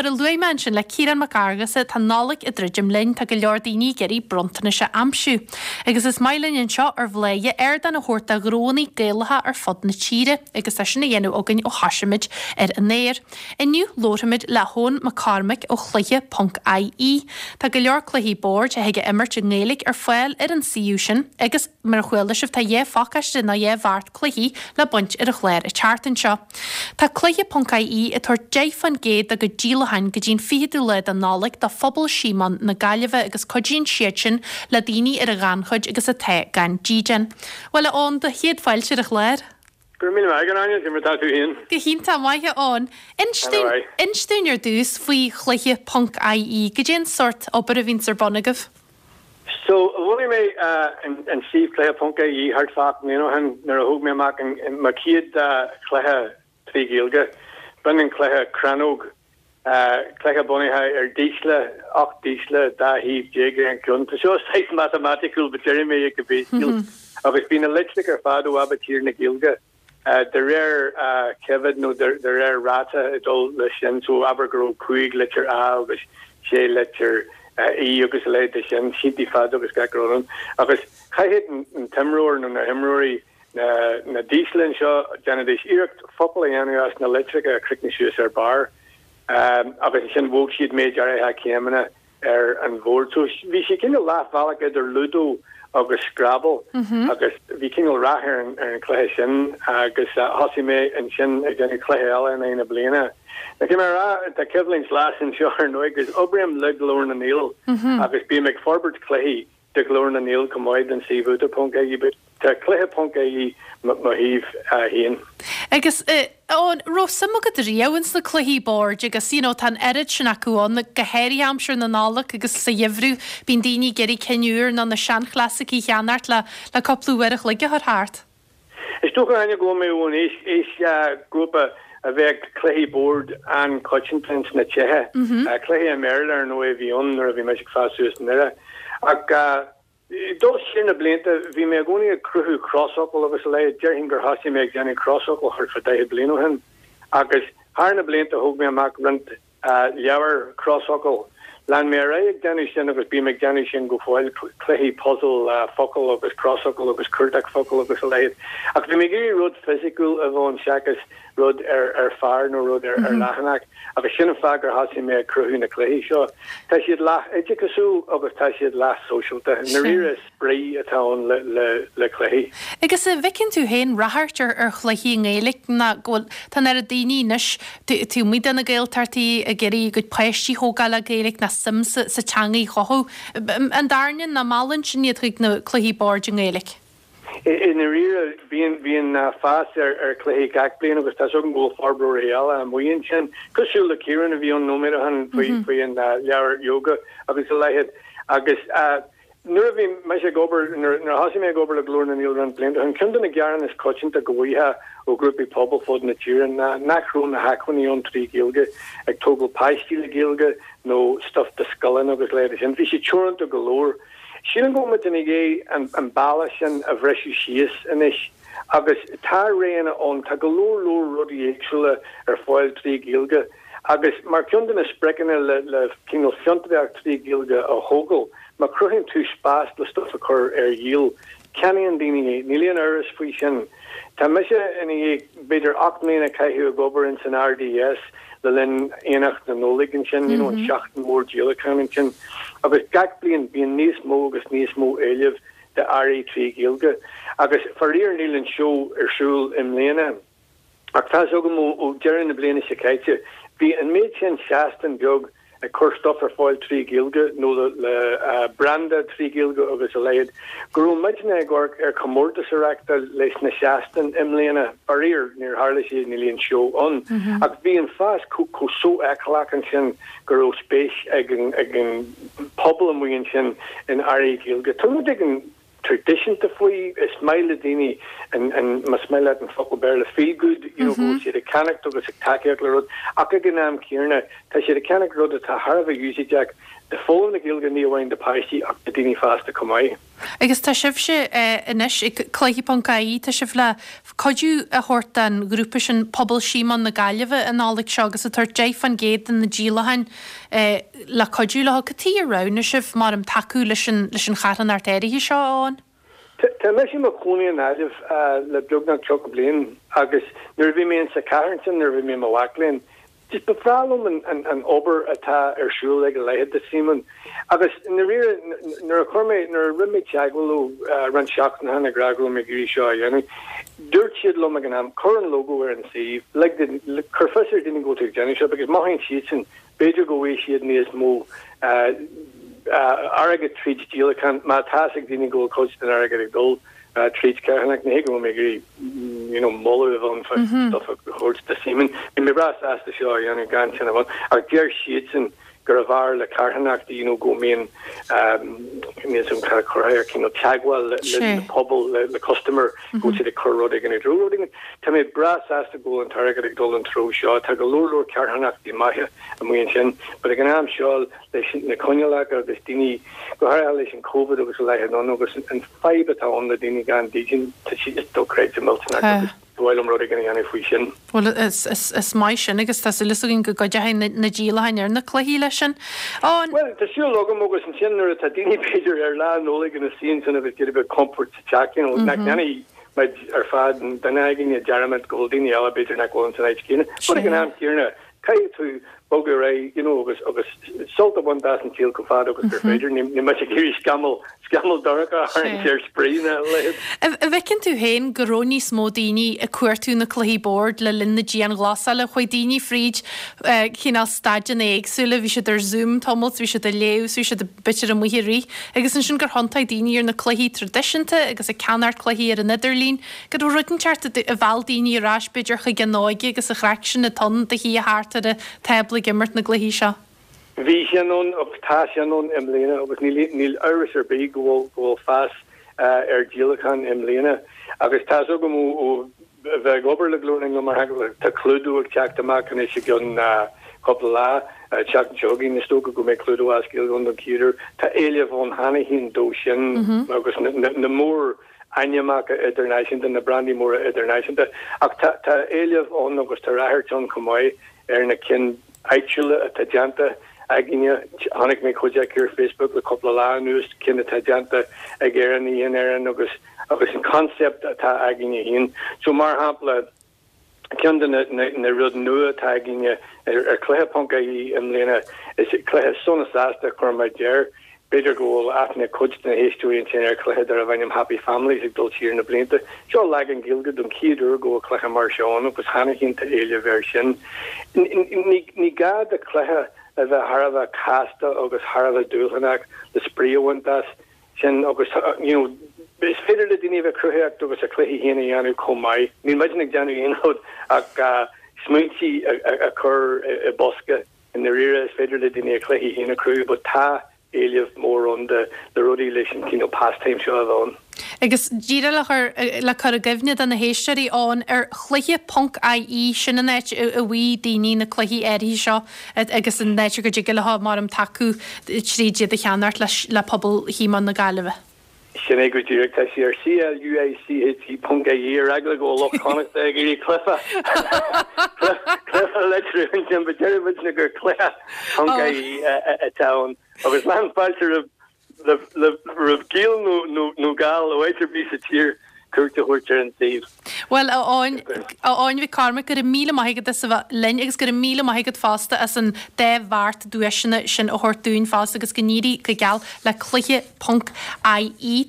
mar a luaigh mé ansin le Ciarán Mac Fhearghusa, tá Nollaig ag druidim linn, tá go leor daoine ag iarraidh bronntanais a aimsiú. Agus is maith linn anseo ar Bhladhaire ardán a thabhairt do ghnóanna Gaelacha ar fud na tíre, agus tá sin á dhéanamh againn ó thosaigh muid ar an aer. Inniu labharfaimid le hEoghan McCormack ó Chluiche ponc IE. Tá go leor cluichí boird a thig a imirt i nGaeilge ar fáil ar an suíomh sin agus, mar a chuala sibh, tá 2 phacáiste nó 2 bheart cluichí le baint ar an chlár an tseachtain seo. Tá Cluiche ponc IE ag tabhairt 10% dá gcuid díolacháin go dtí an 20ú lá de Nollaig do Phobal Síomóin na Gaillimhe agus cuidíonn siad sin le daoine ar an ghannchuid agus atá gan dídean. Bhuel a Eoin, do chéad fáilte ar an chlár. Go raibh míle maith agat, Áine, cad é mar atá tú féin? Go hiontach maith, a Eoin. Inis dúinn ar dtús faoi Chluiche ponc IE, goidé an sórt obair a bhíonns ar bun agaibh? So, bhunaigh mé an suíomh cluiche ponc IE thart fá 8 mbliana ó shin nuair a thóg mé amach mo chéad chluiche trí Ghaeilge. B'in an cluiche Crannóg, cluiche bunaithe ar dísle, 18 dísle, 12 thaobh ar an gceann. Tá seo saghas matamaiticiúil but déarfaidh mé é go béascúil. Agus bhí na litreacha ar fad ó Aibitír na Gaeilge. De réir ceimhead nó de réir ráta ag dul leis sin, so abair go raibh 5 litir A agus 6 litir E agus a leithéid de sin, síntí fada agus gach rud ann. Agus chaithfeadh an t-imreoir nó na himreoirí na dísle anseo, déanfaidís iarracht focal a dhéanamh as na litreacha a chríochnaigh suas ar barr agus ansin bhog siad méid áirithe céimeanna ar an bhord. So bhí sé cineál leathbhealach idir Ludo agus Scrabble agus bhí cineál rath ar an ar an chluiche sin agus thosaigh mé ansin ag déanamh cluiche eile in aghaidh na bliana. Now caithfidh mé a rá, tá coimhlint ghlas anseo ar ndóigh agus oibrím le Glór na nGael agus bím ag forbairt cluichí do Ghlór na nGael chomh maith don suíomh údar ponc ie but tá cluiche ponc ie mo shuíomh féin. Agus an raibh suim agat riamh ins na cluichí boird agus you know tá an oiread sin acu ann, go háirithe aimsir na Nollag agus sa gheimhreadh bíonn daoine ag iarraidh cinn úr nó na seanchlasaicí a cheannacht le le cúpla uair a chloig a chur thart. Is dócha Áine go bhfuil mé ón aois aoisghrúpa a bheadh cluichí boird an-choitianta ins na tithe. Cluichí i mBéarla ar ndóigh a bhí ann nuair a bhí mise ag fás suas i nDoire. Ach dul siar na blianta bhí mé i gcónaí ag cruthú crosfhocal agus a leithéid. Déarfainn gur thosaigh mé ag déanamh crosfhocal thart fá 40 bliain ó shin. Agus thar na blianta thóg mé amach roinnt leabhar crosfhocal. Lean mé ar aghaidh ag déanamh sin agus bím ag déanamh sin go fóill, cluichí puzail focal agus crosfhocal agus cuardach focal agus a leithéid. Ach bhí mé ag iarraidh rud fisiciúil a bheith ann seachas rud ar phár nó rud ar leathanach agus sin an fáth gur thosaigh mé ag cruthú na cluichí seo. Tá siad leath oideachasúil agus tá siad leath sóisialta. I ndáiríre is spraoi atá ann le cluichí. Agus an bhfeiceann tú féin ráchairt ar chluichí i nGaeilge ná go bhfuil, tá an oiread daoine anois taobh amuigh de na Gaeltachtaí ag iarraidh a gcuid páistí a thógáil le Gaeilge ná suim sa teanga a chothú. An dtarraingíonn ná meallann sin iad chuig na cluichí boird i nGaeilge? I ndáiríre, bíonn, bíonn fás ar chluichí gach bliain agus tá's agam go bhfuil forbróirí eile amuigh ansin, cosúil le Ciarán a bhí ann nóiméad ó shin faoi, faoi an leabhar yoga agus a leithéid. Agus nuair a bhí mise ag obair, nuair a thosaigh mé ag obair le Glór na nGael roinnt blianta ó shin, ceann de na gearáin is coitianta go bhfaighfeá ó ghrúpaí pobail fud na tíre ná nach raibh na hacmhainní ann trí Ghaeilge, ag tógáil páistí le Gaeilge nó stuif do scoileanna agus a leithéid sin. Bhí sé teoranta go leor. Sílim go bhfuil muid i ndiaidh an balla sin a bhriseadh síos anois agus tá roghanna ann, tá go leor leor rudaí éagsúla ar fáil trí Ghaeilge agus mar cheann de na spriocanna le cineál fiontraíocht trí Ghaeilge a thógáil, má chruthaíonn tú spás le stuif a chur ar dhíol, ceannaíonn daoine é, níl aon amhras faoi sin. Tá mise i ndiaidh b'fhéidir 8 mbliana a chaitheamh ag obair ins an RDS le linn Aonach na Nollag ansin, you know, an seachtain mhór díolacháin ansin, agus gach bliain bíonn níos mó agus níos mó éilimh d'earraí trí Ghaeilge. Agus faraor níl an seó ar siúl i mbliana. Ach tá's agam ó deireadh na bliana seo caite, bhí an méid sin seastán beag ag cur stuff ar fáil trí Ghaeilge nó le branda trí Ghaeilge agus a leithéid, go raibh muidne ag amharc ar chomórtas a reachtáil leis na seastáin i mbliana. Faraor, níor tharla sé, níl aon seó ann. Ach bhí an fás chomh sofheiceálach ansin go raibh spéis ag an pobal amuigh ansin in earraí Gaeilge. Tá rud éigin traidisiúnta faoi, is maith le daoine an, an, más maith leat an focal Béarla feel good, you know, go bhfuil siad ag ceannacht agus ag tacaíocht le rud, ach ag an am céanna, tá siad ag ceannacht rud atá thar a bheith úsáideach. do foghlaim na Gaeilge ní amháin do páistí ach do daoine fásta chomh maith. Agus tá sibhse anois ag Cluiche ponc ie, tá sibh le cuidiú a thabhairt don ghrúpa sin, Pobal Síomóin na Gaillimhe, an Nollaig seo agus ag tabhairt 10% de na díolacháin le cuidiú leo. Cad chuige ar roghnaigh sibh, mar um tacú leis an leis an charthanacht áirithe seo, a Eoin? Tá mise i mo chónaí i nGaillimh le beagnach 30 bliain agus nuair a bhí mé insa chathair ansin, nuair a bhí mé i mo mhac léinn, Just ba bhreá liom an obair atá ar siúl ag a leithéid de Simon. Agus i ndáiríre, nuair a chuir mé, nuair a rinne mé teagmháil leo roinnt seachtainí ó shin ag rá go raibh mé ag iarraidh seo a dhéanamh, dúirt siad liom ag an am, cuir an logo ar an suíomh, lig do, cuir fios ar dhaoine go bhfuil tú ag déanamh seo because mothaíonn siadsan, b'fhéidir go bhfaighidh siad níos mó airgead tríd díolachán má tá fhios ag daoine go bhfuil cuid den airgead ag dul tríd carthanacht. Ní hé go bhfuil mé ag iarraidh you know moladh a bheith ann fá stuff a thabhairt do Simon. Bhí mé breá sásta seo a dhéanamh gan sin a bheith ann ach deir siadsan gurbh fhearr le carthanachtaí you know go mbíonn níl 's agam cad a chuirfeá air cineál teagmháil le le pobal le le customer go bhfuil siad ag cur rud éigin i dtreo rud éigin. Tá mé breá sásta go bhfuil an t-airgead ag dul an treo seo. Tá go leor leor carthanachtaí maithe amuigh ansin but ag an am seo leis na coinníollacha agus daoine, go háirithe leis an Covid agus a leithéid ann agus an fadhb atá ann le daoine gan dídean, tá sé just dochreidte millteanach agus ba mhaith liom rud éigin a dhéanamh faoi sin. Bhuel, is maith sin agus tá súil againn go gcuideoidh na díolacháin ar na cluichí leis sin. Bhuel, tá súil agam agus ansin nuair atá daoine b'fhéidir ar Lá Nollag ina suí ansin agus iad a bheith compord sa teach, you know, nach ndéanfaidh muid ar fad, duine againne dearmad go bhfuil daoine eile b'fhéidir nach bhfuil ins an áit chéanna. But ag an am céanna, Caithfidh tú bogadh ar aghaidh you know agus agus sult a bhaint as an saol chomh fada agus gur féidir. Níl mise ag iarraidh scamall scamall dorcha a tharraingt ar spraoi ná a leithéid. An bhfeiceann tú féin go raibh níos mó daoine ag cuartú na cluichí boird le linn na dianghlasála? Chuaigh daoine fríd cineál staideanna éagsúla, bhí siad ar Zoom tamall, bhí siad ag léamh, bhí siad b'fhéidir amuigh ag rith agus ansin gur thiontaigh daoine ar na cluichí traidisiúnta agus ag ceannacht cluichí ar an idirlíon. Go raibh rud inteacht a mheall daoine ar ais b'fhéidir chuig an óige agus an chraic sin atá ann de shuí thart ar an tábla ag imirt na gcluichí seo. Bhí sin ann agus tá sin ann i mbliana agus níl amhras ar bith go bhfuil go bhfuil fás ar dhíolacháin i mbliana agus tá's agam ó bheith ag obair le Glór na nGael mar shampla tá Cluedo ag teacht amach anois i gceann cúpla lá, an tseachtain seo chugainn is dócha go mbeidh Cluedo as Gaeilge ann don chéad uair. Tá éileamh ann cheana féin dó sin agus na mór ainmneacha idirnáisiúnta, na brandaí móra idirnáisiúnta, ach tá tá éileamh ann agus tá ráchairt ann chomh maith ar na cinn áitiúla atá déanta againne. Chonaic mé cuid acu ar Facebook le cúpla lá anuas, cinn atá déanta ag Éireannaigh in Éirinn agus agus an concept atá againne féin. So mar shampla, Ceann de na rud nua atá againne ar cluiche ponc ie i mbliana is cluiche sona sásta a chuir muid air. B'fhéidir go bhfuil aithne ag cuid de na héisteoirí ansin ar chluiche darbh ainm Happy Families ag dul siar na blianta. Seo leagan Gaeilge don chéad uair go bhfuil cluiche mar seo ann agus cheana féin tá éileamh air sin. Ní gá do chluiche a bheith thar a bheith casta agus thar a bheith dúshlánach le spraoi a bhaint as. sin agus you know is féidir le daoine a bheith cruthaitheach agus a cluichí féin a dhéanamh chomh maith. Níl muidne ag déanamh aon rud ach smaointí a chur i bosca. I ndáiríre is féidir le daoine a cluichí féin a chruthú but tá éileamh mór ann de na rudaí leis an cineál pastime seo a bheith ann. Agus díreach le cur le cur i gcuimhne do na héisteoirí ann ar chluiche ponc ie sin an áit a bhfaighidh daoine na cluichí áirithe seo agus an áit go dtig leo mar um tacú tríd iad a cheannacht le pobal Shíomóin na Gaillimhe. Sin é go díreach. Tá sé ar CLUICHE ponc IE ar eagla go bhfuil lucht Chonnachta ag iarraidh cluife cluife a litriú ansin, but deir muidne gur cluiche ponc IE atá ann. Agus lán fáilte roimh roimh Gael nó Gall ó áit ar bith sa tír cuairt a thabhairt ar an suíomh. Bhuel, a Eoin, a Eoin Mhic Cormaic, go raibh míle maith agat as a bheith linn agus go raibh míle maith agat fosta as an dá bheart duaiseanna sin a thabhairt dúinn fosta agus go n-éirí go geal le cluiche ponc IE.